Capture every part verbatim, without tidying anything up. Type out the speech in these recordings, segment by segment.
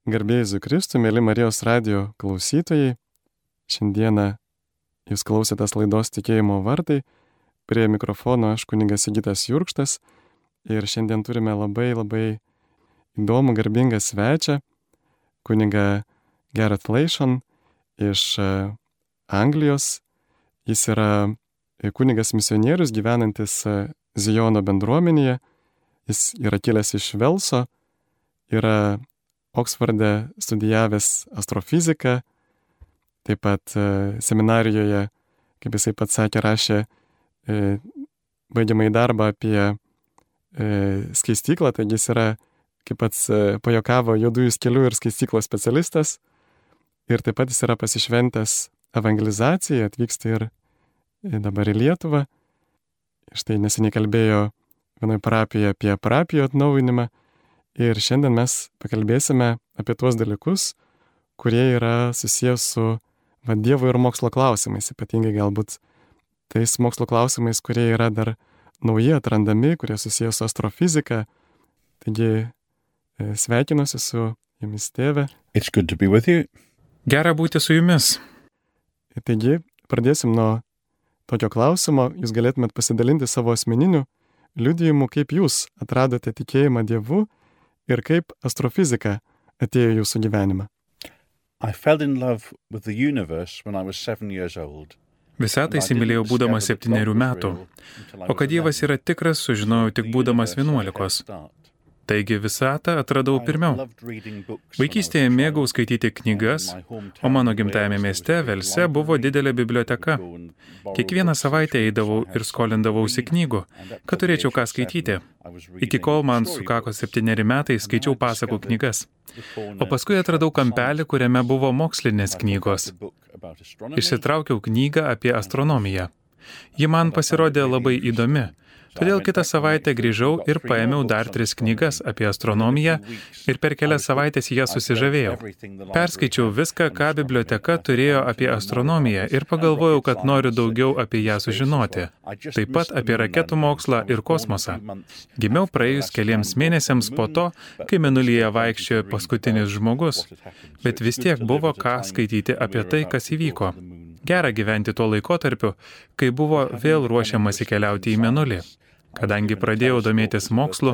Garbė Jėzui Kristui, mėly Marijos radijo klausytojai. Šiandieną jūs klausėtės laidos Tikėjimo vartai. Prie mikrofono aš kunigas Sigitas Jurkštas. Ir šiandien turime labai labai įdomų garbingą svečią, kunigą Gareth Leyshon iš Anglijos. Jis yra kunigas misionierius gyvenantis Zijono bendruomenėje. Jis yra kilęs iš Velso, yra Oksforde studijavęs astrofiziką, taip pat seminarijoje, kaip jisai pats sakė, rašė baigiamąjį darbą apie skaistyklą, taigi jis yra, kaip pats pajokavo, juodųjų skelių ir skaistyklos specialistas. Ir taip pat jis yra pasišventęs evangelizacijai, atvyksta ir dabar į Lietuvą. Štai neseniai kalbėjo vienoje parapijoje apie parapijų atnaujinimą. Ir šiandien mes pakalbėsime apie tuos dalykus, kurie yra susijęs su va, Dievo ir mokslo klausimais, ypatingai galbūt tais mokslo klausimais, kurie yra dar nauji atrandami, kurie susijęs su astrofizika. Taigi sveikinuosi su jumis, tėve. It's good to be with you. Gera būti su jumis. Taigi pradėsim nuo tokio klausimo. Jūs galėtumėt pasidalinti savo asmeniniu liudijimu, kaip jūs atradote tikėjimą Dievu ir kaip astrofizika atėjo jūsų gyvenimą. I fell in love with the universe when I was seven years old. Visatą įsimylėjau būdamas septynerių metų, o kad Dievas yra tikras, sužinojau tik būdamas vienuolikos. Taigi visatą atradau pirmiau. Vaikystėje mėgau skaityti knygas, o mano gimtajame mieste Velse buvo didelė biblioteka. Kiekvieną savaitę eidavau ir skolindavausi knygų, kad turėčiau ką skaityti. Iki kol man sukako septyneri metai, skaičiau pasakų knygas. O paskui atradau kampelį, kuriame buvo mokslinės knygos. Išsitraukiau knygą apie astronomiją. Ji man pasirodė labai įdomi. Todėl kitą savaitę grįžau ir paėmiau dar tris knygas apie astronomiją ir per kelias savaitės ją susižavėjau. Perskaičiau viską, ką biblioteka turėjo apie astronomiją ir pagalvojau, kad noriu daugiau apie ją sužinoti. Taip pat apie raketų mokslą ir kosmosą. Gimiau praėjus keliems mėnesiams po to, kai mėnulyje vaikščiojo paskutinis žmogus, bet vis tiek buvo ką skaityti apie tai, kas įvyko. Gera gyventi tuo laikotarpiu, kai buvo vėl ruošiamasi keliauti į mėnulį. Kadangi pradėjau domėtis mokslu,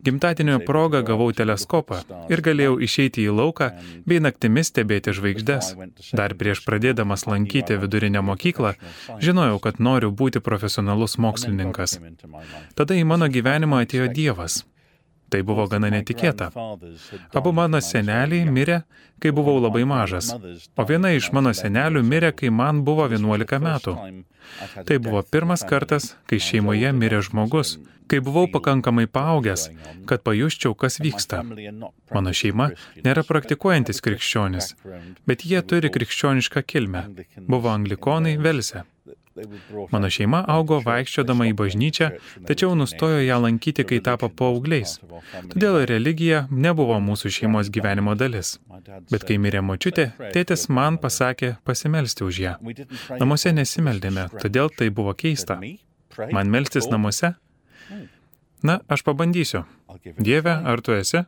gimtadienio proga gavau teleskopą ir galėjau išeiti į lauką bei naktimis stebėti žvaigždes. Dar prieš pradėdamas lankyti vidurinę mokyklą, žinojau, kad noriu būti profesionalus mokslininkas. Tada į mano gyvenimą atėjo Dievas. Tai buvo gana netikėta. Abu mano seneliai mirė, kai buvau labai mažas, o viena iš mano senelių mirė, kai man buvo vienuolika metų. Tai buvo pirmas kartas, kai šeimoje mirė žmogus, kai buvau pakankamai paaugęs, kad pajusčiau, kas vyksta. Mano šeima nėra praktikuojantis krikščionis, bet jie turi krikščionišką kilmę. Buvo anglikonai Velse. Mano šeima augo vaikščiodama į bažnyčią, tačiau nustojo ją lankyti, kai tapo paaugliais. Todėl religija nebuvo mūsų šeimos gyvenimo dalis. Bet kai mirė močiutė, tėtis man pasakė pasimelsti už ją. Namuose nesimeldėme, todėl tai buvo keista. Man melstis namuose? Na, aš pabandysiu. Dieve, ar tu esi?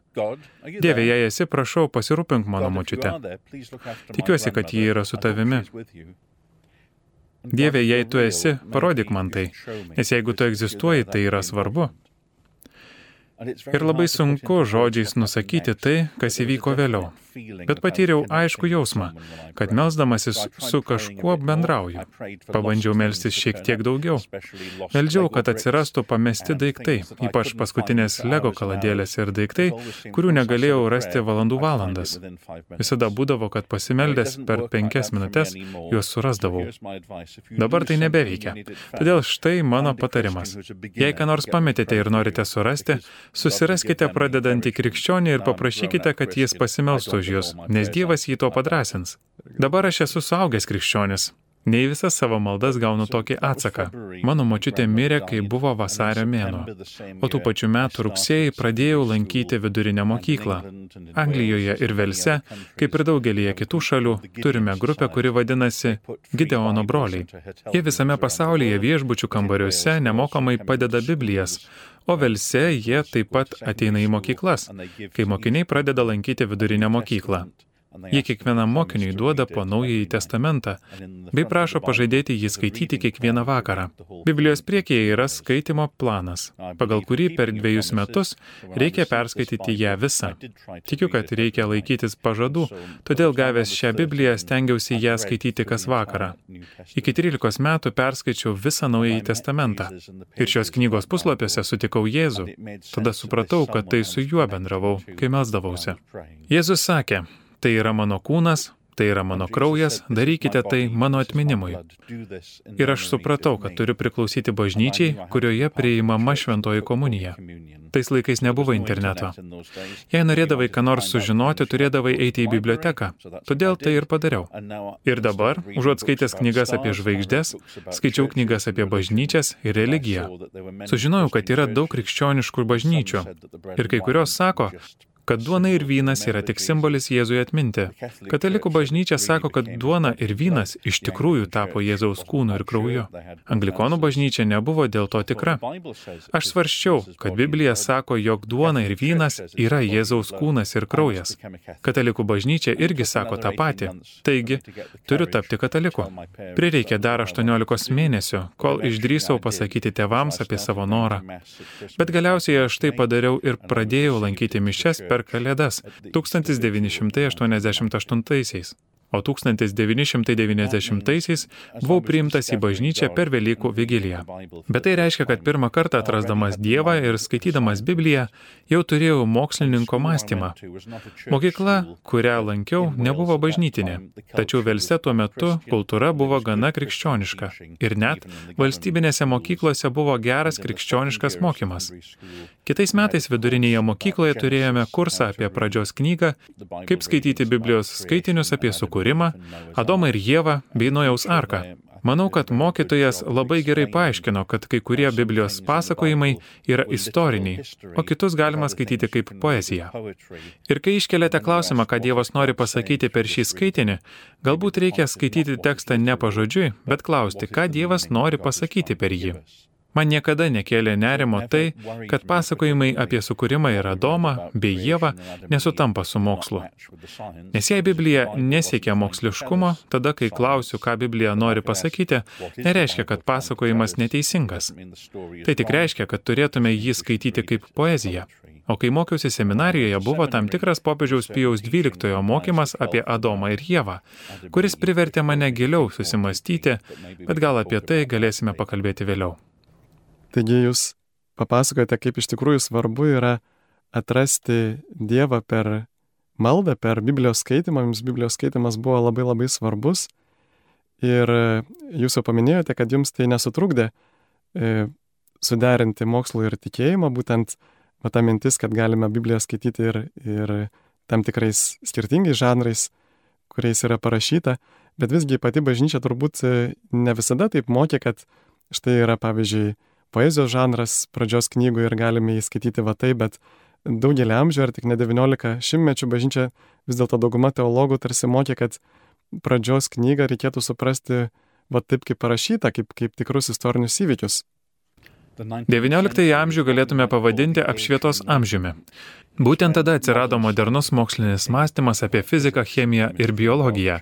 Dieve, jei esi, prašau, pasirūpink mano močiute. Tikiuosi, kad ji yra su tavimi. Dieve, jei tu esi, parodyk man tai, nes jeigu tu egzistuoji, tai yra svarbu. Ir labai sunku žodžiais nusakyti tai, kas įvyko vėliau. Bet patyriau aišku jausmą, kad melsdamasis su kažkuo bendrauju. Pabandžiau melstis šiek tiek daugiau. Meldžiau, kad atsirastų pamesti daiktai, ypač paskutinės Lego kaladėlės ir daiktai, kurių negalėjau rasti valandų valandas. Visada būdavo, kad pasimeldęs per penkias minutes juos surasdavau. Dabar tai nebeveikia. Todėl štai mano patarimas. Jei ką nors pametėte ir norite surasti, susiraskite pradedantį krikščionį ir paprašykite, kad jis pasimelstų už jūs, nes Dievas jį to padrąsins. Dabar aš esu suaugęs krikščionis. Ne į visas savo maldas gaunu tokį atsaką. Mano močiutė mirė, kai buvo vasario mėnuo, o tų pačių metų rugsėjį pradėjau lankyti vidurinę mokyklą. Anglijoje ir Velse, kaip ir daugelyje kitų šalių, turime grupę, kuri vadinasi Gideono broliai. Jie visame pasaulyje viešbučių kambariuose nemokamai padeda Biblijas, O Velse jie taip pat ateina į mokyklas, kai mokiniai pradeda lankyti vidurinę mokyklą. Jie kiekvienam mokiniui duoda po Naująjį testamentą, bei prašo pažadėti jį skaityti kiekvieną vakarą. Biblijos priekyje yra skaitymo planas, pagal kurį per dviejus metus reikia perskaityti ją visą. Tikiu, kad reikia laikytis pažadų, todėl gavęs šią Bibliją stengiausi ją skaityti kas vakarą. Iki trylikos metų perskaičiau visą Naująjį testamentą ir šios knygos puslapiuose sutikau Jėzų. Tada supratau, kad tai su juo bendravau, kai melsdavausi. Jėzus sakė: tai yra mano kūnas, tai yra mano kraujas, darykite tai mano atminimui. Ir aš supratau, kad turiu priklausyti bažnyčiai, kurioje priimama šventoji komunija. Tais laikais nebuvo interneto. Jei norėdavai ką nors sužinoti, turėdavai eiti į biblioteką. Todėl tai ir padariau. Ir dabar, užuot skaitęs knygas apie žvaigždes, skaičiau knygas apie bažnyčias ir religiją. Sužinojau, kad yra daug krikščioniškų bažnyčių. Ir kai kurios sako, kad duona ir vynas yra tik simbolis Jėzui atminti. Katalikų bažnyčia sako, kad duona ir vynas iš tikrųjų tapo Jėzaus kūnu ir krauju. Anglikonų bažnyčia nebuvo dėl to tikra. Aš svarsčiau, kad Biblija sako, jog duona ir vynas yra Jėzaus kūnas ir kraujas. Katalikų bažnyčia irgi sako tą patį. Taigi, turiu tapti kataliku. Prireikė dar aštuoniolikos mėnesių, kol išdrįsau pasakyti tėvams apie savo norą. Bet galiausiai aš tai padariau ir pradėjau lankyti mišias per Kalėdas tūkstantis devyni šimtai aštuoniasdešimt aštuntaisiais. O tūkstantis devyni šimtai devyniasdešimtaisiais buvau priimtas į bažnyčią per Velykų vigiliją. Bet tai reiškia, kad pirmą kartą atrasdamas Dievą ir skaitydamas Bibliją, jau turėjau mokslininko mąstymą. Mokykla, kurią lankiau, nebuvo bažnytinė, tačiau Velse tuo metu kultūra buvo gana krikščioniška. Ir net valstybinėse mokyklose buvo geras krikščioniškas mokymas. Kitais metais vidurinėje mokykloje turėjome kursą apie pradžios knygą, kaip skaityti Biblijos skaitinius apie sukūrimą, Adomą ir Ievą bei Nojaus arką. Manau, kad mokytojas labai gerai paaiškino, kad kai kurie Biblijos pasakojimai yra istoriniai, o kitus galima skaityti kaip poeziją. Ir kai iškeliate klausimą, ką Dievas nori pasakyti per šį skaitinį, galbūt reikia skaityti tekstą ne pažodžiui, bet klausti, ką Dievas nori pasakyti per jį. Man niekada nekėlė nerimo tai, kad pasakojimai apie sukūrimą ir Adomą bei Ievą nesutampa su mokslu. Nes jei Biblija nesiekia moksliškumo, tada, kai klausiu, ką Biblija nori pasakyti, nereiškia, kad pasakojimas neteisingas. Tai tik reiškia, kad turėtume jį skaityti kaip poeziją. O kai mokiausi seminarijoje, buvo tam tikras popiežiaus Pijaus dvyliktojo mokymas apie Adomą ir Ievą, kuris privertė mane giliau susimastyti, bet gal apie tai galėsime pakalbėti vėliau. Taigi jūs papasakojate, kaip iš tikrųjų svarbu yra atrasti Dievą per maldą, per Biblijos skaitimą. Jums Biblijos skaitimas buvo labai labai svarbus. Ir jūs jau paminėjote, kad jums tai nesutrukdė e, suderinti mokslo ir tikėjimą, būtent va, ta mintis, kad galime Bibliją skaityti ir, ir tam tikrais skirtingais žanrais, kuriais yra parašyta. Bet visgi pati bažnyčia turbūt ne visada taip mokė, kad štai yra, pavyzdžiui, poezijos žanras pradžios knygų ir galime jį skaityti va taip, bet daugelį amžių, ar tik ne devyniolika šimtmečių bažnyčia, vis dėlto dauguma teologų tarsi mokė, kad pradžios knygą reikėtų suprasti va taip, kaip parašyta, kaip, kaip tikrus istorinius įvykius. devynioliktąjį amžių galėtume pavadinti apšvietos amžiumi. Būtent tada atsirado modernus mokslinis mąstymas apie fiziką, chemiją ir biologiją.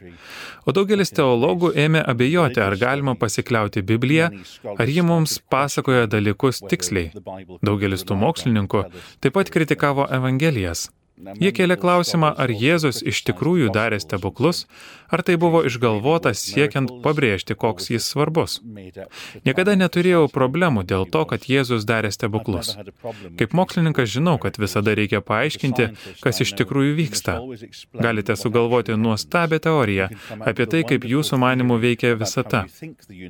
O daugelis teologų ėmė abejoti, ar galima pasikliauti Bibliją, ar ji mums pasakoja dalykus tiksliai. Daugelis tų mokslininkų taip pat kritikavo Evangelijas. Jie kėlė klausimą, ar Jėzus iš tikrųjų darė stebuklus, ar tai buvo išgalvotas siekiant pabrėžti, koks jis svarbus. Niekada neturėjau problemų dėl to, kad Jėzus darė stebuklus. Kaip mokslininkas žinau, kad visada reikia paaiškinti, kas iš tikrųjų vyksta. Galite sugalvoti nuostabią teoriją apie tai, kaip jūsų manimų veikia visata.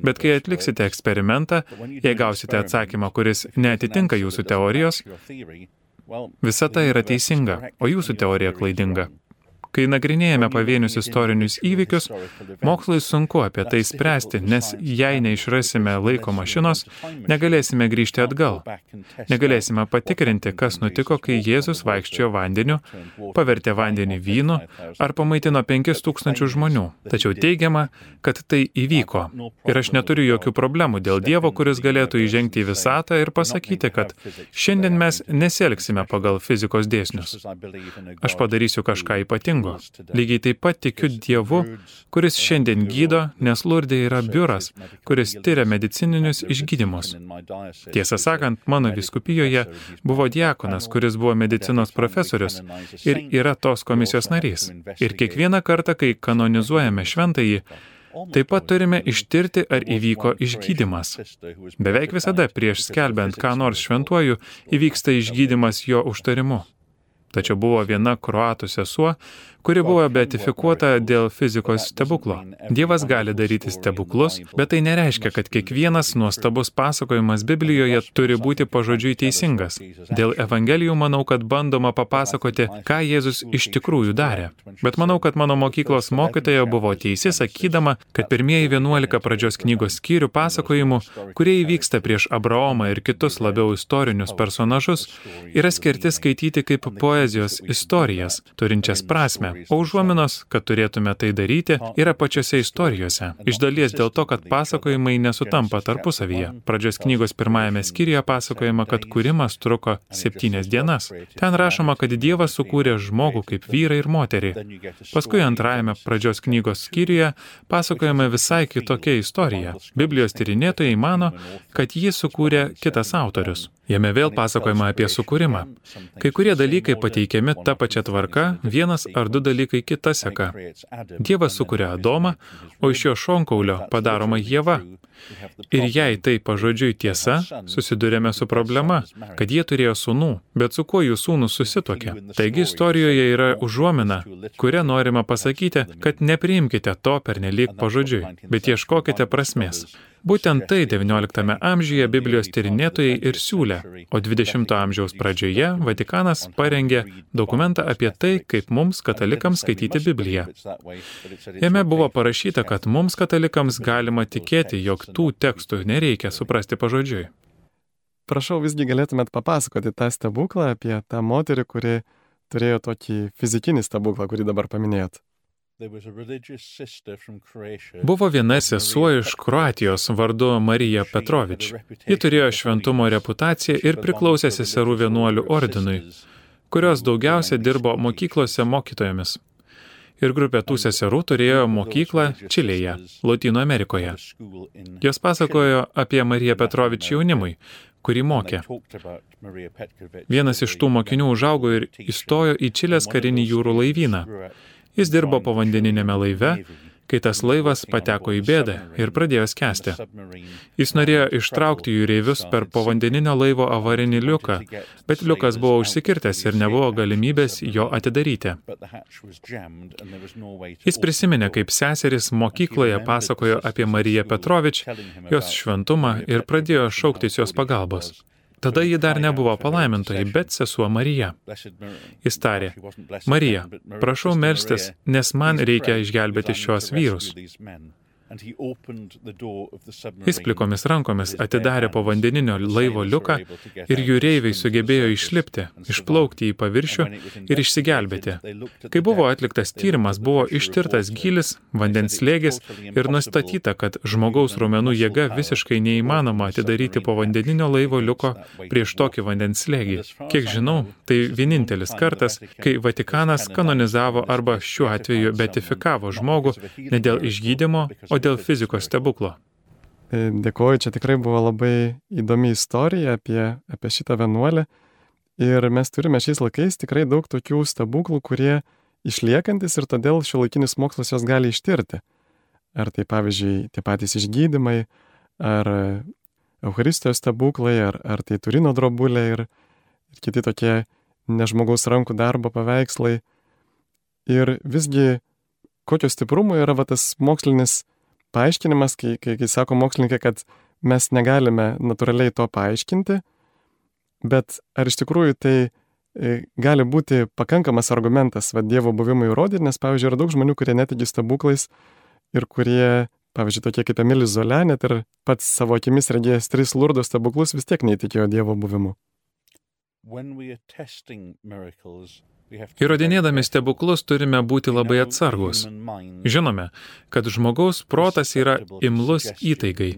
Bet kai atliksite eksperimentą, jei gausite atsakymą, kuris neatitinka jūsų teorijos, visata yra teisinga, o jūsų teorija klaidinga. Kai nagrinėjame pavienius istorinius įvykius, mokslui sunku apie tai spręsti, nes jei neišrasime laiko mašinos, negalėsime grįžti atgal. Negalėsime patikrinti, kas nutiko, kai Jėzus vaikščiojo vandeniu, pavertė vandenį vynu ar pamaitino penkis tūkstančius žmonių. Tačiau teigiama, kad tai įvyko. Ir aš neturiu jokių problemų dėl Dievo, kuris galėtų įžengti į visatą ir pasakyti, kad šiandien mes nesielgsime pagal fizikos dėsnius. Aš padarysiu kažką ypatingo. Lygiai taip pat tikiu Dievu, kuris šiandien gydo, nes Lurdė yra biuras, kuris tyria medicininius išgydymus. Tiesą sakant, mano vyskupijoje buvo diakonas, kuris buvo medicinos profesorius ir yra tos komisijos narys. Ir kiekvieną kartą, kai kanonizuojame šventąjį, taip pat turime ištirti, ar įvyko išgydymas. Beveik visada prieš skelbiant ką nors šventuoju, įvyksta išgydymas jo užtarimu. Tačiau buvo viena kroatų sesuo, kuri buvo beatifikuota dėl fizikos stebuklo. Dievas gali daryti stebuklus, bet tai nereiškia, kad kiekvienas nuostabus pasakojimas Biblijoje turi būti pažodžiui teisingas. Dėl Evangelijų manau, kad bandoma papasakoti, ką Jėzus iš tikrųjų darė. Bet manau, kad mano mokyklos mokytoja buvo teisi, sakydama, kad pirmieji vienuolika pradžios knygos skyrių pasakojimų, kurie įvyksta prieš Abraomą ir kitus labiau istorinius personažus, yra skirti skaityti kaip poezijos istorijas, turinčias prasmę. O užuominos, kad turėtume tai daryti, yra pačiose istorijose. Iš dalies dėl to, kad pasakojimai nesutampa tarpusavyje. Pradžios knygos pirmajame skyriuje pasakojama, kad kūrimas truko septynias dienas. Ten rašoma, kad Dievas sukūrė žmogų kaip vyrą ir moterį. Paskui antrajame pradžios knygos skyriuje pasakojama visai kitokia istorija. Biblijos tyrinėtojai mano, kad jį sukūrė kitas autorius. Jame vėl pasakojama apie sukūrimą. Kai kurie dalykai pateikiami ta pačia tvarka, vienas ar du dalykai kita seka. Dievas sukuria Adomą, o iš jo šonkaulio padaroma Ieva. Ir jei tai pažodžiui tiesa, susidurėme su problema, kad jie turėjo sūnų, bet su kuo jų sūnus susituokė. Taigi istorijoje yra užuomina, kuria norima pasakyti, kad nepriimkite to pernelyg pažodžiui, bet ieškokite prasmės. Būtent tai devynioliktame amžiuje Biblijos tyrinėtojai ir siūlė, o dvidešimto amžiaus pradžioje Vatikanas parengė dokumentą apie tai, kaip mums, katalikams, skaityti Bibliją. Jame buvo parašyta, kad mums, katalikams, galima tikėti, jog tų tekstų nereikia suprasti pažodžiui. Prašau, visgi galėtumėt papasakoti tą stebuklą apie tą moterį, kuri turėjo tokį fizikinį stebuklą, kurį dabar paminėjot. Buvo viena sesuo iš Kroatijos vardu Marija Petrovič. Ji turėjo šventumo reputaciją ir priklausė seserų vienuolių ordinui, kurios daugiausia dirbo mokyklose mokytojomis. Ir grupė tų seserų turėjo mokyklą Čilėje, Lotynų Amerikoje. Jos pasakojo apie Mariją Petrovič jaunimui, kurį mokė. Vienas iš tų mokinių užaugo ir įstojo į Čilės karinį jūrų laivyną. Jis dirbo povandeninėme laive, kai tas laivas pateko į bėdą ir pradėjo skęsti. Jis norėjo ištraukti jūreivius per povandeninio laivo avarinį liuką, bet liukas buvo užsikirtęs ir nebuvo galimybės jo atidaryti. Jis prisiminė, kaip seseris mokykloje pasakojo apie Mariją Petrovič, jos šventumą ir pradėjo šauktis jos pagalbos. Tada ji dar nebuvo palaimintoji, bet sesuo Marija. Jis tarė, Marija, prašau melstis, nes man reikia išgelbėti šios vyrus. Jis plikomis rankomis atidarė povandeninio laivo liuką ir jūreiviai sugebėjo išlipti, išplaukti į paviršių ir išsigelbėti. Kai buvo atliktas tyrimas, buvo ištirtas gylis, vandens slėgis ir nustatyta, kad žmogaus raumenų jėga visiškai neįmanoma atidaryti povandeninio laivo liuko prieš tokį vandens slėgį. Kiek žinau, tai vienintelis kartas, kai Vatikanas kanonizavo arba šiuo atveju beatifikavo žmogų ne dėl išgydymo, o dėl fizikos stebuklo. Dėkuoju, čia tikrai buvo labai įdomi istorija apie, apie šitą vienuolę. Ir mes turime šiais laikais tikrai daug tokių stebuklų, kurie išliekantis ir todėl šiuolaikinis mokslas jos gali ištirti. Ar tai, pavyzdžiui, tie patys išgydymai, ar Eucharistijos stebuklai, ar, ar tai Turino drobulė ir, ir kiti tokie nežmogaus rankų darbo paveikslai. Ir visgi, kokio stiprumo yra va, tas mokslinis paaiškinimas, kai, kai, kai sako mokslininkai, kad mes negalime natūraliai to paaiškinti, bet ar iš tikrųjų tai gali būti pakankamas argumentas va, Dievo buvimui įrodyti, nes, pavyzdžiui, yra daug žmonių, kurie netiki stebuklais ir kurie, pavyzdžiui, tokie kaip Emilis Zola, net ir pats savo akimis regėjęs tris Lurdo stebuklus, vis tiek neįtikėjo Dievo buvimu. Įrodinėdami stebuklus turime būti labai atsargus. Žinome, kad žmogaus protas yra imlus įtaigai.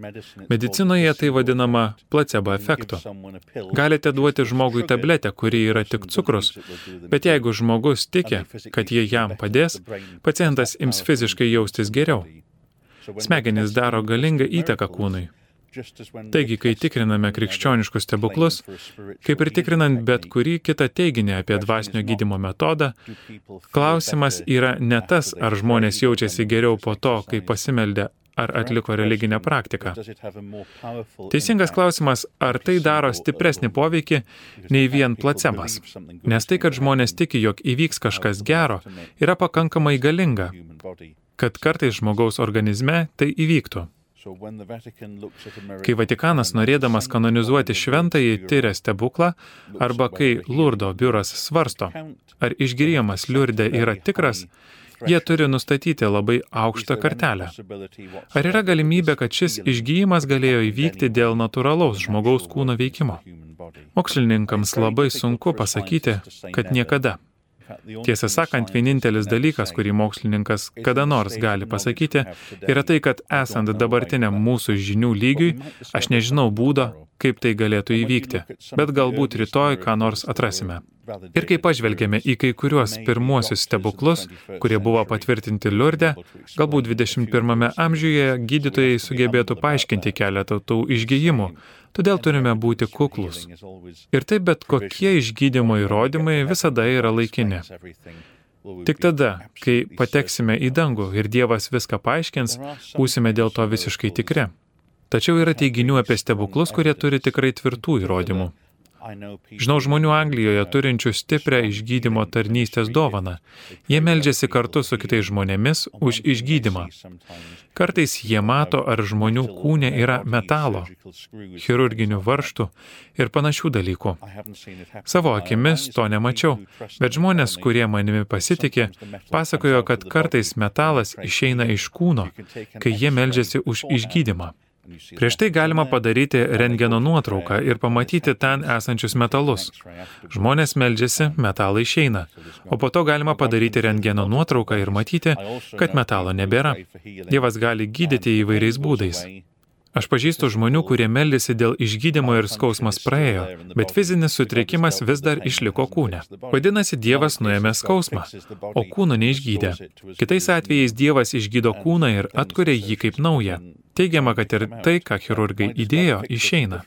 Medicinoje tai vadinama placebo efektu. Galite duoti žmogui tabletę, kuri yra tik cukrus, bet jeigu žmogus tiki, kad jie jam padės, pacientas ims fiziškai jaustis geriau. Smegenys daro galingą įtaką kūnui. Taigi, kai tikriname krikščioniškus stebuklus, kaip ir tikrinant bet kurį kitą teiginį apie dvasinio gydymo metodą, klausimas yra ne tas, ar žmonės jaučiasi geriau po to, kai pasimeldė ar atliko religinę praktiką. Teisingas klausimas, ar tai daro stipresnį poveikį nei vien placebas. Nes tai, kad žmonės tiki, jog įvyks kažkas gero, yra pakankamai galinga, kad kartais žmogaus organizme tai įvyktų. Kai Vatikanas norėdamas kanonizuoti šventąjį tiria stebuklą, arba kai Lurdo biuras svarsto, ar išgyrimas Liurde yra tikras, jie turi nustatyti labai aukštą kartelę. Ar yra galimybė, kad šis išgyjimas galėjo įvykti dėl natūralaus žmogaus kūno veikimo? Mokslininkams labai sunku pasakyti, kad niekada. Tiesą sakant, vienintelis dalykas, kurį mokslininkas kada nors gali pasakyti, yra tai, kad esant dabartiniam mūsų žinių lygiui, aš nežinau būdo, kaip tai galėtų įvykti, bet galbūt rytoj ką nors atrasime. Ir kai pažvelgėme į kai kuriuos pirmuosius stebuklus, kurie buvo patvirtinti Liurde, galbūt dvidešimt pirmame amžiuje gydytojai sugebėtų paaiškinti keletą tų išgijimų, todėl turime būti kuklus. Ir taip bet kokie išgydymo įrodymai visada yra laikini. Tik tada, kai pateksime į dangų ir Dievas viską paaiškins, būsime dėl to visiškai tikri. Tačiau yra teiginių apie stebuklus, kurie turi tikrai tvirtų įrodymų. Žinau žmonių Anglijoje turinčių stiprią išgydymo tarnystės dovaną. Jie meldžiasi kartu su kitais žmonėmis už išgydymą. Kartais jie mato, ar žmonių kūne yra metalo, chirurginių varžtų ir panašių dalykų. Savo akimis to nemačiau, bet žmonės, kurie manimi pasitikė, pasakojo, kad kartais metalas išeina iš kūno, kai jie meldžiasi už išgydymą. Prieš tai galima padaryti rentgeno nuotrauką ir pamatyti ten esančius metalus. Žmonės meldžiasi, metalai išeina, o po to galima padaryti rentgeno nuotrauką ir matyti, kad metalo nebėra. Dievas gali gydyti įvairiais būdais. Aš pažįstu žmonių, kurie meldėsi dėl išgydymo ir skausmas praėjo, bet fizinis sutrikimas vis dar išliko kūne. Vadinasi, Dievas nuėmė skausmą, o kūno neišgydė. Kitais atvejais Dievas išgydo kūną ir atkuria jį kaip naują. Teigiama, kad ir tai, ką chirurgai įdėjo, išeina.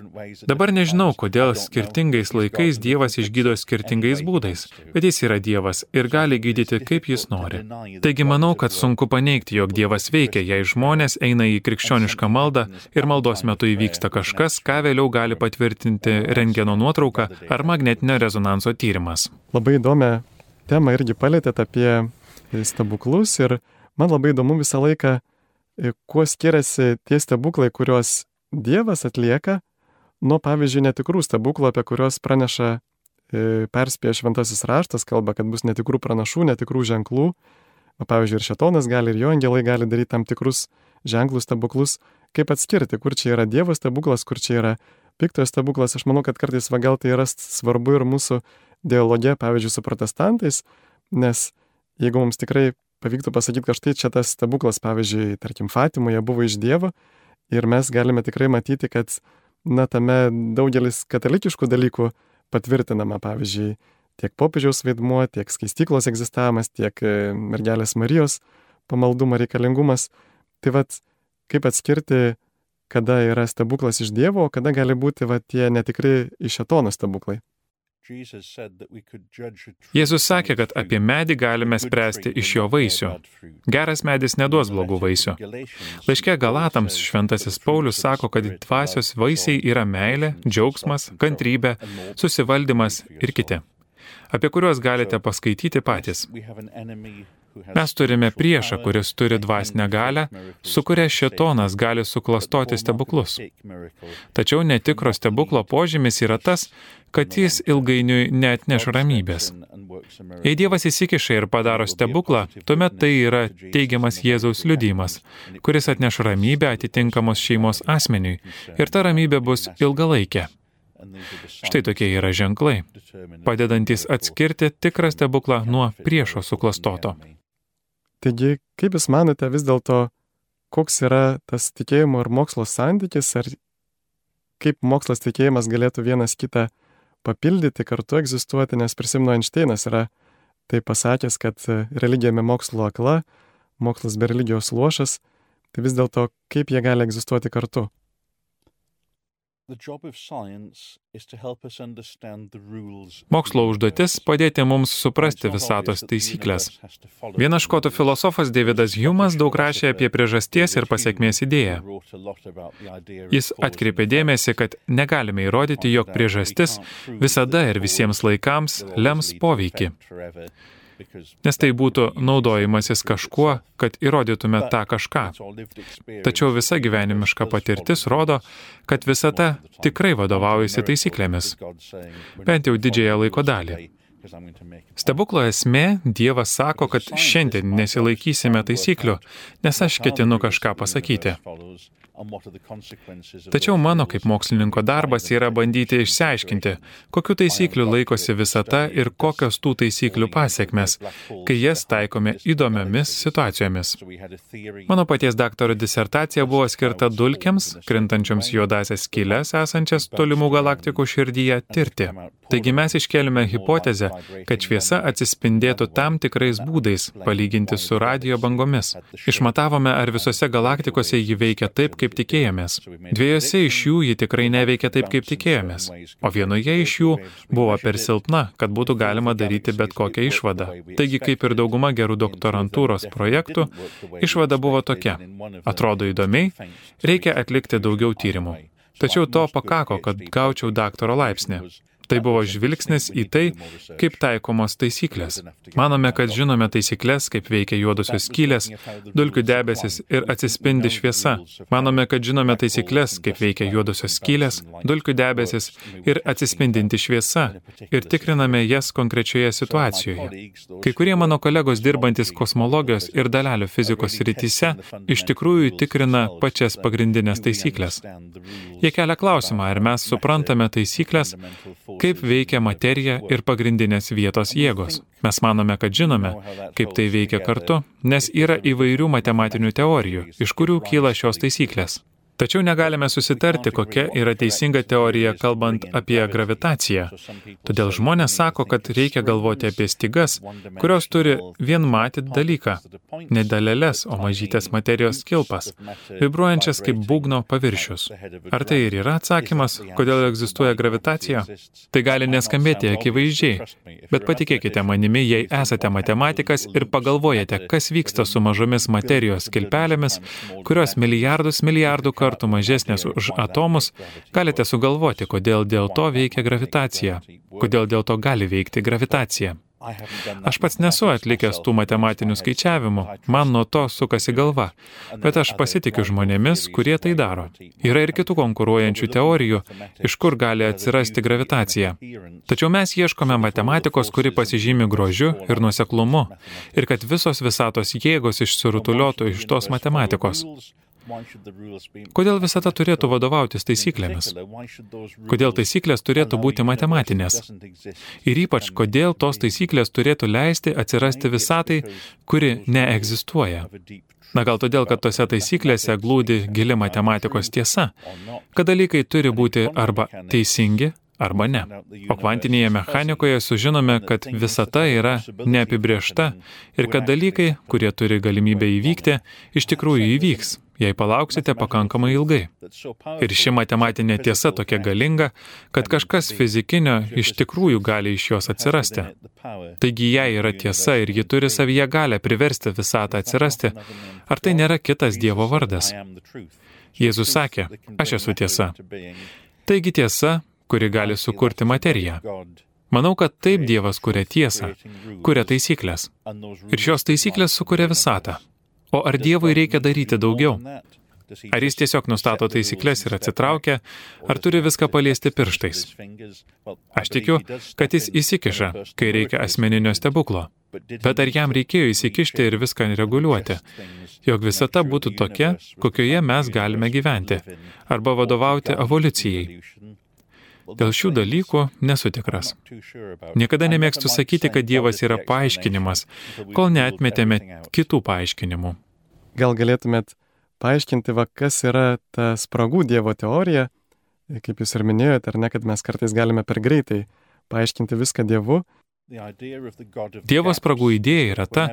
Dabar nežinau, kodėl skirtingais laikais Dievas išgydo skirtingais būdais, bet jis yra Dievas ir gali gydyti, kaip jis nori. Taigi manau, kad sunku paneigti, jog Dievas veikia, jei žmonės eina į krikščionišką maldą ir maldos metu įvyksta kažkas, ką vėliau gali patvirtinti rentgeno nuotrauka ar magnetinio rezonanso tyrimas. Labai įdomią temą irgi palėtėt apie stebuklus ir man labai įdomu visą laiką, kuo skiriasi tie stebuklai, kuriuos Dievas atlieka, nuo, pavyzdžiui, netikrų stebuklų, apie kuriuos praneša, e, perspėja šventasis raštas, kalba, kad bus netikrų pranašų, netikrų ženklų. O, pavyzdžiui, ir šėtonas gali, ir jo angelai gali daryti tam tikrus ženklus, stebuklus. Kaip atskirti, kur čia yra Dievo stebuklas, kur čia yra piktojo stebuklas? Aš manau, kad kartais va gal tai yra svarbu ir mūsų dialoge, pavyzdžiui, su protestantais, nes jeigu mums tikrai pavyktų pasakyti, kad štai čia tas stebuklas, pavyzdžiui, tarkim, Fatimoje buvo iš Dievo ir mes galime tikrai matyti, kad, na, tame daugelis katalikiškų dalykų patvirtinama, pavyzdžiui, tiek popiežiaus vaidmuo, tiek skaistyklos egzistavimas, tiek mergelės Marijos pamaldumo reikalingumas. Tai vat, kaip atskirti, kada yra stebuklas iš Dievo, o kada gali būti va, tie netikri iš šėtono stebuklai? Jėzus sakė, kad apie medį galime spręsti iš jo vaisių. Geras medis neduos blogų vaisių. Laiške Galatams šventasis Paulius sako, kad dvasios vaisiai yra meilė, džiaugsmas, kantrybė, susivaldymas ir kiti, apie kuriuos galite paskaityti patys. Mes turime priešą, kuris turi dvasinę galią, su kuria šėtonas gali suklastoti stebuklus. Tačiau netikro stebuklo požymis yra tas, kad jis ilgainiui neatneš ramybės. Jei Dievas įsikiša ir padaro stebuklą, tuomet tai yra teigiamas Jėzaus liudijimas, kuris atneš ramybę atitinkamos šeimos asmeniui, ir ta ramybė bus ilgalaikė. Štai tokie yra ženklai, padedantis atskirti tikrą stebuklą nuo priešo suklastoto. Taigi, kaip Jūs manote vis dėlto, koks yra tas tikėjimo ir mokslo santykis, ar kaip mokslas tikėjimas galėtų vienas kitą papildyti, kartu egzistuoti, nes prisimenu Einšteinas yra tai pasakęs, kad religija be mokslo akla, mokslas be religijos luošas, tai vis dėlto kaip jie gali egzistuoti kartu? Mokslo užduotis padėti mums suprasti visatos taisyklės. Vienas škotų filosofas Davidas Humas daug rašė apie priežasties ir pasekmės idėją. Jis atkreipė dėmesį, kad negalime įrodyti, jog priežastis visada ir visiems laikams lems poveikį. Nes tai būtų naudojimasis kažkuo, kad įrodytume tą kažką. Tačiau visa gyvenimiška patirtis rodo, kad visata tikrai vadovaujasi taisyklėmis, bent jau didžiąją laiko dalį. Stebuklo esmė, Dievas sako, kad šiandien nesilaikysime taisyklių, nes aš ketinu kažką pasakyti. Tačiau mano kaip mokslininko darbas yra bandyti išsiaiškinti, kokių taisyklių laikosi visata ir kokios tų taisyklių pasekmės, kai jas taikome įdomiomis situacijomis. Mano paties daktaro disertacija buvo skirta dulkėms, krintančioms juodasias skyles esančias tolimų galaktikų širdyje, tirti. Taigi mes iškėlėme hipotezę, kad šviesa atsispindėtų tam tikrais būdais, palyginti su radijo bangomis. Išmatavome, ar visose galaktikose ji veikia taip, kaip tikėjomės. Dviejose iš jų ji tikrai neveikia taip, kaip tikėjomės, o vienoje iš jų buvo per silpna, kad būtų galima daryti bet kokią išvadą. Taigi, kaip ir dauguma gerų doktorantūros projektų, išvada buvo tokia. Atrodo įdomiai, reikia atlikti daugiau tyrimų. Tačiau to pakako, kad gaučiau daktaro laipsnį. Tai buvo žvilgsnis į tai, kaip taikomos taisyklės. Manome, kad žinome taisyklės, kaip veikia juodosios skylės, dulkių debesis ir atsispindi šviesa. Manome, kad žinome taisyklės, kaip veikia juodosios skylės, dulkių debesis ir atsispindinti šviesa ir tikriname jas konkrečioje situacijoje. Kai kurie mano kolegos dirbantis kosmologijos ir dalelių fizikos srityse iš tikrųjų tikrina pačias pagrindinės taisyklės. Jie kelia klausimą, ar mes suprantame taisyklės, kaip veikia materija ir pagrindinės vietos jėgos. Mes manome, kad žinome, kaip tai veikia kartu, nes yra įvairių matematinių teorijų, iš kurių kyla šios taisyklės. Tačiau negalime susitarti, kokia yra teisinga teorija, kalbant apie gravitaciją. Todėl žmonės sako, kad reikia galvoti apie stygas, kurios turi vienmatį dalyką, ne daleles, o mažytės materijos kilpas, vibruojančias kaip būgno paviršius. Ar tai ir yra atsakymas, kodėl egzistuoja gravitacija? Tai gali neskambėti akivaizdžiai, bet patikėkite manimi, jei esate matematikas ir pagalvojate, kas vyksta su mažomis materijos kilpelėmis, kurios milijardus milijardų kartų mažesnės už atomus, galite sugalvoti, kodėl dėl to veikia gravitacija, kodėl dėl to gali veikti gravitacija. Aš pats nesu atlikęs tų matematinių skaičiavimų, man nuo to sukasi galva, bet aš pasitikiu žmonėmis, kurie tai daro. Yra ir kitų konkuruojančių teorijų, iš kur gali atsirasti gravitacija. Tačiau mes ieškome matematikos, kuri pasižymi grožiu ir nuoseklumu, ir kad visos visatos jėgos išsirutuliotų iš tos matematikos. Kodėl visata turėtų vadovautis taisyklėmis? Kodėl taisyklės turėtų būti matematinės? Ir ypač, kodėl tos taisyklės turėtų leisti atsirasti visatai, kuri neegzistuoja? Na gal todėl, kad tose taisyklėse glūdi gili matematikos tiesa, kad dalykai turi būti arba teisingi, arba ne. O kvantinėje mechanikoje sužinome, kad visata yra neapibrėžta ir kad dalykai, kurie turi galimybę įvykti, iš tikrųjų įvyks, jei palauksite pakankamai ilgai. Ir ši matematinė tiesa tokia galinga, kad kažkas fizikinio iš tikrųjų gali iš jos atsirasti. Taigi jei yra tiesa ir ji turi savyje galę priversti visatą atsirasti, ar tai nėra kitas Dievo vardas? Jėzus sakė, aš esu tiesa. Taigi tiesa, kuri gali sukurti materiją. Manau, kad taip Dievas kuria tiesą, kuria taisyklės. Ir šios taisyklės sukuria visatą. O ar Dievui reikia daryti daugiau? Ar jis tiesiog nustato taisyklės ir atsitraukia, ar turi viską paliesti pirštais? Aš tikiu, kad jis įsikiša, kai reikia asmeninio stebuklo. Bet ar jam reikėjo įsikišti ir viską reguliuoti, jog visata būtų tokia, kokioje mes galime gyventi, arba vadovauti evoliucijai? Dėl šių dalykų nesu tikras. Niekada nemėgstu sakyti, kad Dievas yra paaiškinimas, kol neatmetėme kitų paaiškinimų. Gal galėtumėt paaiškinti, va, kas yra ta spragų Dievo teorija, kaip jūs ir minėjote, ar ne, kad mes kartais galime per greitai paaiškinti viską Dievu. Dievo spragų idėja yra ta,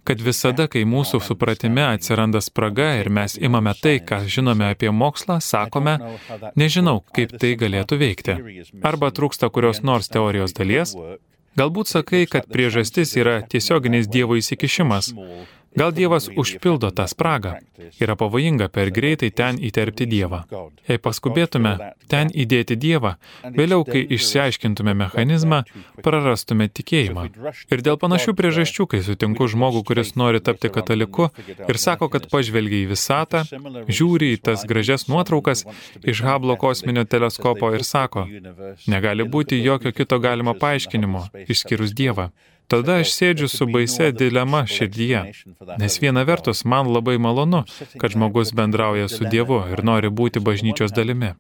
kad visada, kai mūsų supratime atsiranda spraga ir mes imame tai, ką žinome apie mokslą, sakome, nežinau, kaip tai galėtų veikti. Arba trūksta kurios nors teorijos dalies. Galbūt sakai, kad priežastis yra tiesioginis Dievo įsikišimas. Gal Dievas užpildo tą spragą. Yra pavojinga per greitai ten įterpti Dievą. Jei paskubėtume ten įdėti Dievą, vėliau, kai išsiaiškintume mechanizmą, prarastume tikėjimą. Ir dėl panašių priežasčių, kai sutinku žmogų, kuris nori tapti kataliku ir sako, kad pažvelgia į visatą, žiūri į tas gražias nuotraukas iš Hubble'o kosminio teleskopo ir sako, negali būti jokio kito galimo paaiškinimo, išskyrus Dievą. Tada aš sėdžiu su baisia dilema širdyje, nes viena vertus man labai malonu, kad žmogus bendrauja su Dievu ir nori būti bažnyčios dalimi.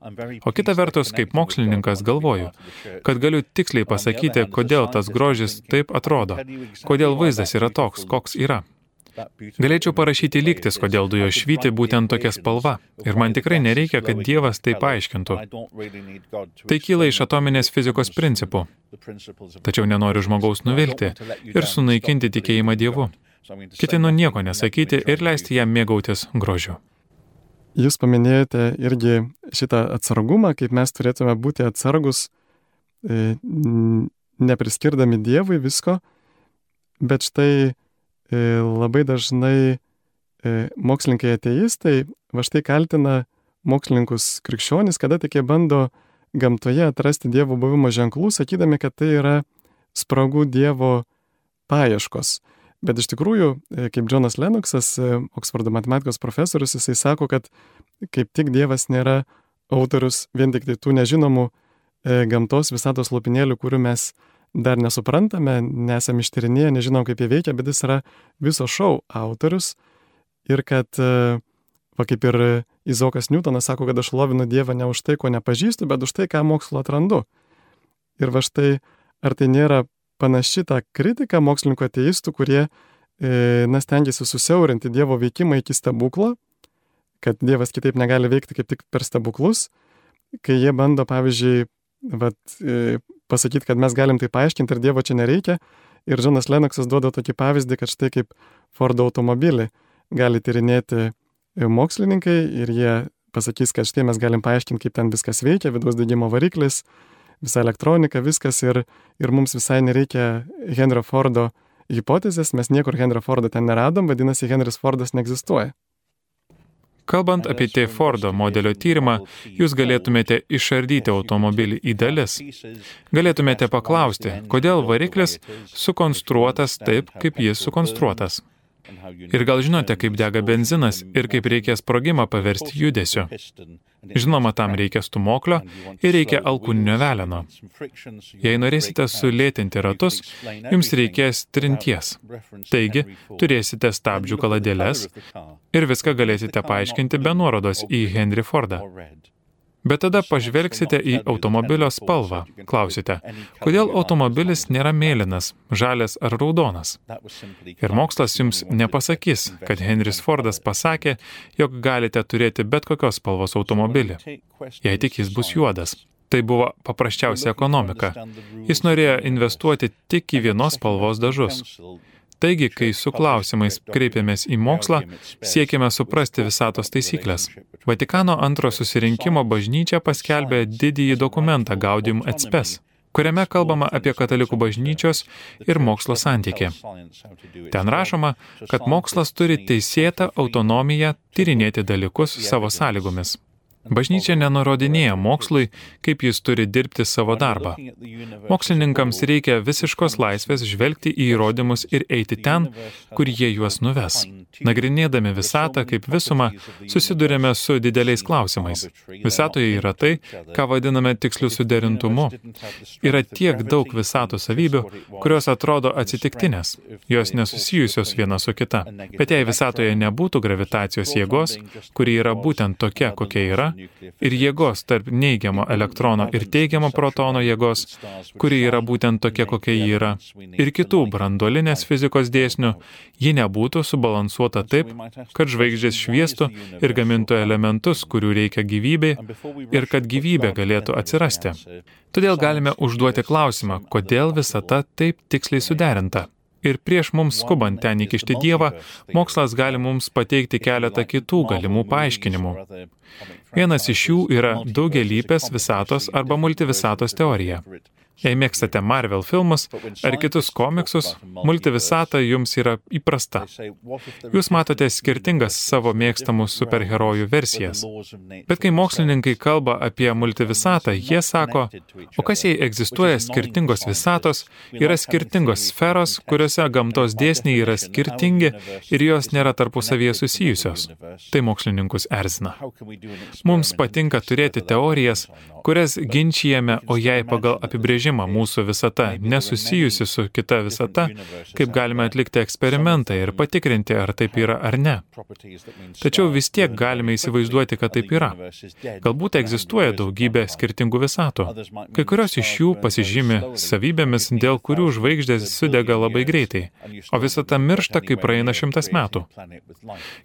O kita vertus, kaip mokslininkas galvoju, kad galiu tiksliai pasakyti, kodėl tas grožis taip atrodo, kodėl vaizdas yra toks, koks yra. Galėčiau parašyti lygtis, kodėl dujos švyti būtent tokia spalva. Ir man tikrai nereikia, kad Dievas tai paaiškintų. Tai kyla iš atominės fizikos principų. Tačiau nenoriu žmogaus nuvilti ir sunaikinti tikėjimą Dievu. Ketinu nieko nesakyti ir leisti jam mėgautis grožiu. Jūs paminėjote irgi šitą atsargumą, kaip mes turėtume būti atsargus, e, nepriskirdami Dievui visko, bet štai labai dažnai mokslininkai ateistai va štai kaltina mokslininkus krikščionis, kada tik jie bando gamtoje atrasti Dievo buvimo ženklų, sakydami, kad tai yra spragų Dievo paieškos. Bet iš tikrųjų, kaip Džonas Lennoxas, Oksfordo matematikos profesorius, jisai sako, kad kaip tik Dievas nėra autorius vien tik tai tų nežinomų gamtos visatos lopinėlių, kurių mes dar nesuprantame, nesam ištyrinėję, nežinom, kaip jie veikia, bet jis yra viso šou autorius ir kad, va kaip ir Izaokas Niutonas sako, kad aš šlovinu Dievą ne už tai, ko nepažįstu, bet už tai, ką mokslo atrandu. Ir va štai, ar tai nėra panaši ta kritika mokslininkų ateistų, kurie, e, na, stengiasi susiaurinti Dievo veikimą iki stebuklo, kad Dievas kitaip negali veikti kaip tik per stebuklus, kai jie bando, pavyzdžiui, vat, e, pasakyti, kad mes galim tai paaiškinti ir Dievo čia nereikia. Ir Džonas Lennoxas duoda tokį pavyzdį, kad štai kaip Fordo automobilį gali tyrinėti mokslininkai ir jie pasakys, kad štai mes galim paaiškinti, kaip ten viskas veikia, vidaus degimo variklis, visa elektronika, viskas ir, ir mums visai nereikia Henrio Fordo hipotezės, mes niekur Henrio Fordo ten neradom, vadinasi, Henris Fordas neegzistuoja. Kalbant apie T. Fordo modelio tyrimą, jūs galėtumėte išardyti automobilį į dalis. Galėtumėte paklausti, kodėl variklis sukonstruotas taip, kaip jis sukonstruotas. Ir gal žinote, kaip dega benzinas ir kaip reikia sprogimą paversti judesiu. Žinoma, tam reikia stūmoklio ir reikia alkūninio veleno. Jei norėsite sulėtinti ratus, jums reikės trinties. Taigi, turėsite stabdžių kaladėles ir viską galėsite paaiškinti be nuorodos į Henry Fordą. Bet tada pažvelgsite į automobilio spalvą. Klausite, kodėl automobilis nėra mėlynas, žalias ar raudonas? Ir mokslas jums nepasakys, kad Henris Fordas pasakė, jog galite turėti bet kokios spalvos automobilį, jei tik jis bus juodas. Tai buvo paprasčiausia ekonomika. Jis norėjo investuoti tik į vienos spalvos dažus. Taigi, kai su klausimais kreipiamės į mokslą, siekime suprasti visatos taisyklės. Vatikano antro susirinkimo bažnyčia paskelbė didįjį dokumentą Gaudium et Spes, kuriame kalbama apie katalikų bažnyčios ir mokslo santykį. Ten rašoma, kad mokslas turi teisėtą autonomiją tyrinėti dalykus savo sąlygomis. Bažnyčia nenurodinėja mokslui, kaip jis turi dirbti savo darbą. Mokslininkams reikia visiškos laisvės žvelgti į įrodymus ir eiti ten, kur jie juos nuves. Nagrinėdami visatą kaip visumą, susidurėme su dideliais klausimais. Visatoje yra tai, ką vadiname tiksliu suderintumu. Yra tiek daug visatų savybių, kurios atrodo atsitiktinės. Jos nesusijusios viena su kita. Bet jei visatoje nebūtų gravitacijos jėgos, kuri yra būtent tokia, kokia yra, ir jėgos tarp neigiamo elektrono ir teigiamo protono jėgos, kuri yra būtent tokia, kokia ji yra, ir kitų branduolinės fizikos dėsnių, ji nebūtų subalansuota taip, kad žvaigždės šviestų ir gamintų elementus, kurių reikia gyvybei, ir kad gyvybė galėtų atsirasti. Todėl galime užduoti klausimą, kodėl visata taip tiksliai suderinta. Ir prieš mums skubant ten įkišti Dievą, mokslas gali mums pateikti keletą kitų galimų paaiškinimų. Vienas iš jų yra daugialypės visatos arba multivisatos teorija. Jei mėgstate Marvel filmus ar kitus komiksus, multivisata jums yra įprasta. Jūs matote skirtingas savo mėgstamų superherojų versijas. Bet kai mokslininkai kalba apie multivisatą, jie sako, o kas jei egzistuoja skirtingos visatos, yra skirtingos sferos, kuriuose gamtos dėsniai yra skirtingi ir jos nėra tarpusavyje susijusios. Tai mokslininkus erzina. Mums patinka turėti teorijas, kurias ginčijame, o jei pagal apibrėžimą mūsų visata nesusijusi su kita visata, kaip galime atlikti eksperimentą ir patikrinti, ar taip yra ar ne. Tačiau vis tiek galime įsivaizduoti, kad taip yra. Galbūt egzistuoja daugybė skirtingų visatų. Kai kurios iš jų pasižymi savybėmis, dėl kurių žvaigždės sudega labai greitai, o visata miršta, kai praeina šimtas metų.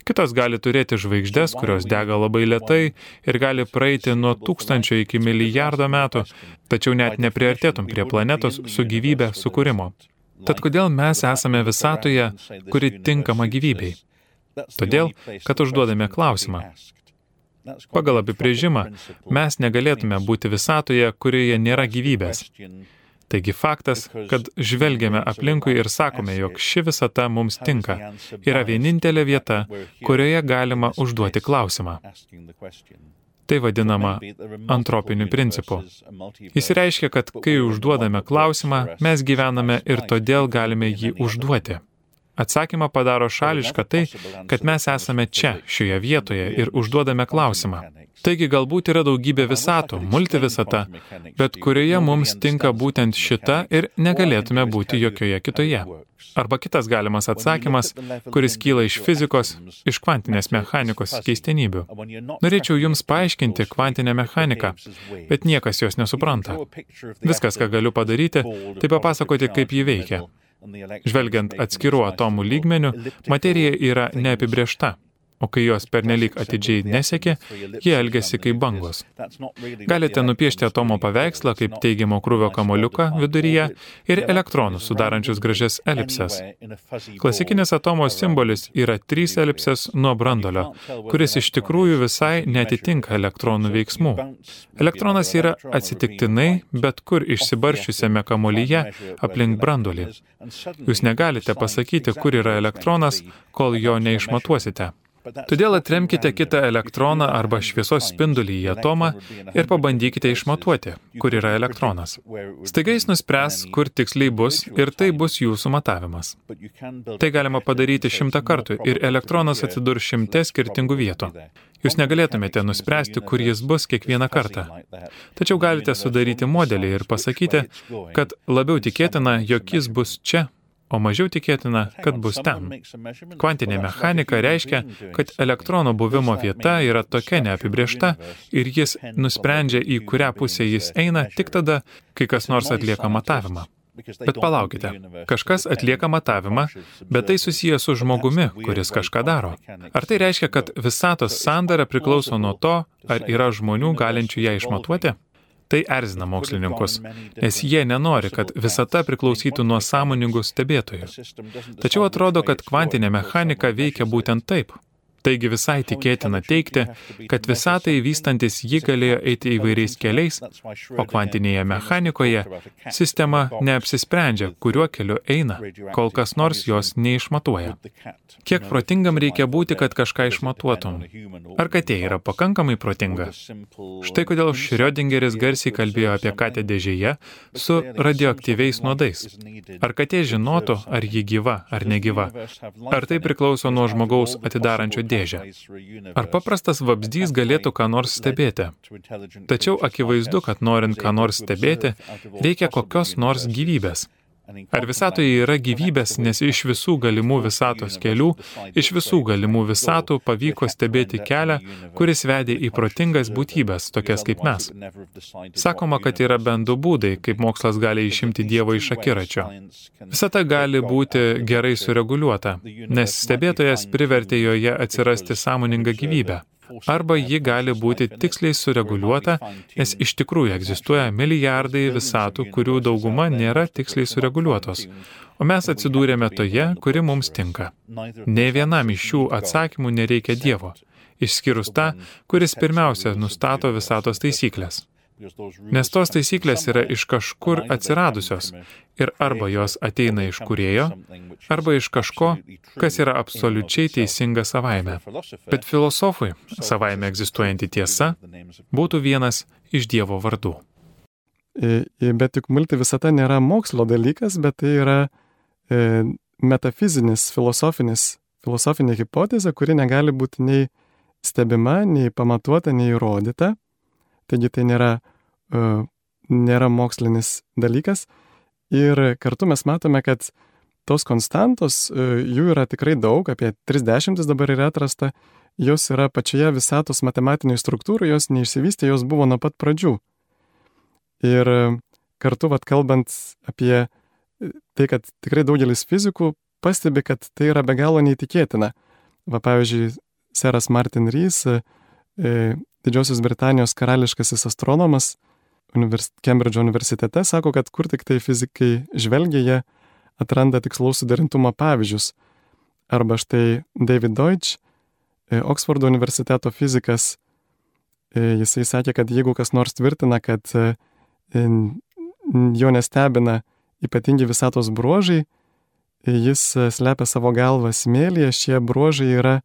Kitos gali turėti žvaigždes, kurios dega labai lėtai ir gali praeiti nuo tūkstančio iki milijardo metų, tačiau net nepriartėtum prie planetos su gyvybė sukūrimo. Tad kodėl mes esame visatoje, kuri tinkama gyvybei? Todėl, kad užduodame klausimą. Pagal apibrėžimą, mes negalėtume būti visatoje, kurioje nėra gyvybės. Taigi faktas, kad žvelgiame aplinkui ir sakome, jog ši visata mums tinka, yra vienintelė vieta, kurioje galima užduoti klausimą. Tai vadinama antropiniu principu. Jis reiškia, kad kai užduodame klausimą, mes gyvename ir todėl galime jį užduoti. Atsakymą padaro šališka tai, kad mes esame čia, šioje vietoje ir užduodame klausimą. Taigi galbūt yra daugybė visatų, multivisata, bet kurioje mums tinka būtent šita ir negalėtume būti jokioje kitoje. Arba kitas galimas atsakymas, kuris kyla iš fizikos, iš kvantinės mechanikos keistenybių. Norėčiau jums paaiškinti kvantinę mechaniką, bet niekas jos nesupranta. Viskas, ką galiu padaryti, tai papasakoti, kaip ji veikia. Žvelgiant atskirų atomų lygmenių, materija yra neapibrėžta. O kai jos pernelyg atidžiai nesekė, jie elgiasi kaip bangos. Galite nupiešti atomo paveikslą kaip teigiamo krūvio kamuoliuką viduryje ir elektronus sudarančius gražias elipses. Klasikinis atomo simbolis yra trys elipsės nuo branduolio, kuris iš tikrųjų visai neatitinka elektronų veiksmų. Elektronas yra atsitiktinai, bet kur išsibarščiusiame kamuolyje aplink branduolį. Jūs negalite pasakyti, kur yra elektronas, kol jo neišmatuosite. Todėl atremkite kitą elektroną arba šviesos spindulį į atomą ir pabandykite išmatuoti, kur yra elektronas. Staiga jis nuspręs, kur tiksliai bus ir tai bus jūsų matavimas. Tai galima padaryti šimtą kartų ir elektronas atsidurs šimte skirtingų vietų. Jūs negalėtumėte nuspręsti, kur jis bus kiekvieną kartą. Tačiau galite sudaryti modelį ir pasakyti, kad labiau tikėtina, jog jis bus čia, o mažiau tikėtina, kad bus ten. Kvantinė mechanika reiškia, kad elektrono buvimo vieta yra tokia neapibrėžta ir jis nusprendžia, į kurią pusę jis eina tik tada, kai kas nors atlieka matavimą. Bet palaukite, kažkas atlieka matavimą, bet tai susijęs su žmogumi, kuris kažką daro. Ar tai reiškia, kad visatos sandara priklauso nuo to, ar yra žmonių galinčių ją išmatuoti? Tai erzina mokslininkus, nes jie nenori, kad visata priklausytų nuo sąmoningų stebėtojų. Tačiau atrodo, kad kvantinė mechanika veikia būtent taip. Taigi visai tikėtina teigti, kad visatai vystantis ji galėjo eiti įvairiais keliais, o kvantinėje mechanikoje sistema neapsisprendžia, kuriuo keliu eina, kol kas nors jos neišmatuoja. Kiek protingam reikia būti, kad kažką išmatuotum? Ar katė yra pakankamai protinga? Štai kodėl Šriodingeris garsiai kalbėjo apie katę dėžėje su radioaktyviais nuodais. Ar katė žinotų, ar ji gyva, ar negyva? Ar tai priklauso nuo žmogaus atidarančio dėžę? Ar paprastas vabzdys galėtų ką nors stebėti? Tačiau akivaizdu, kad norint ką nors stebėti, reikia kokios nors gyvybės. Ar visatoje yra gyvybės, nes iš visų galimų visatos kelių, iš visų galimų visatų pavyko stebėti kelią, kuris vedė į protingas būtybės, tokias kaip mes. Sakoma, kad yra bent du būdai, kaip mokslas gali išimti Dievą iš akiračio. Visata gali būti gerai sureguliuota, nes stebėtojas privertė joje atsirasti sąmoningą gyvybę. Arba ji gali būti tiksliai sureguliuota, nes iš tikrųjų egzistuoja milijardai visatų, kurių dauguma nėra tiksliai sureguliuotos. O mes atsidūrėme toje, kuri mums tinka. Nei vienam iš šių atsakymų nereikia Dievo, išskyrus tą, kuris pirmiausia nustato visatos taisyklės. Nes tos taisyklės yra iš kažkur atsiradusios ir arba jos ateina iš kūrėjo, arba iš kažko, kas yra absoliučiai teisinga savaime. Bet filosofui savaime egzistuojanti tiesa būtų vienas iš Dievo vardų. Bet juk multivisata nėra mokslo dalykas, bet tai yra e, metafizinis, filosofinis, filosofinė hipotezė, kuri negali būti nei stebima, nei pamatuota, nei įrodyta. Taigi tai nėra, uh, nėra mokslinis dalykas. Ir kartu mes matome, kad tos konstantos, uh, jų yra tikrai daug, apie trisdešimt dabar yra atrasta, jos yra pačioje visatos matematiniai struktūrai, jos neišsivystė, jos buvo nuo pat pradžių. Ir uh, kartu, vat, kalbant apie tai, kad tikrai daugelis fizikų pastebi, kad tai yra be galo neįtikėtina. Va, pavyzdžiui, seras Martin Rees, uh, Didžiosios Britanijos karališkasis astronomas univers... Kembridžo universitete sako, kad kur tik tai fizikai žvelgia, jie atranda tikslaus suderintumo pavyzdžius. Arba štai David Deutsch, Oksfordo universiteto fizikas, jisai sakė, kad jeigu kas nors tvirtina, kad jo nestebina ypatingi visatos bruožai, jis slepia savo galvą smėlyje, šie bruožai yra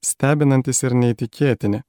stebinantis ir neįtikėtini.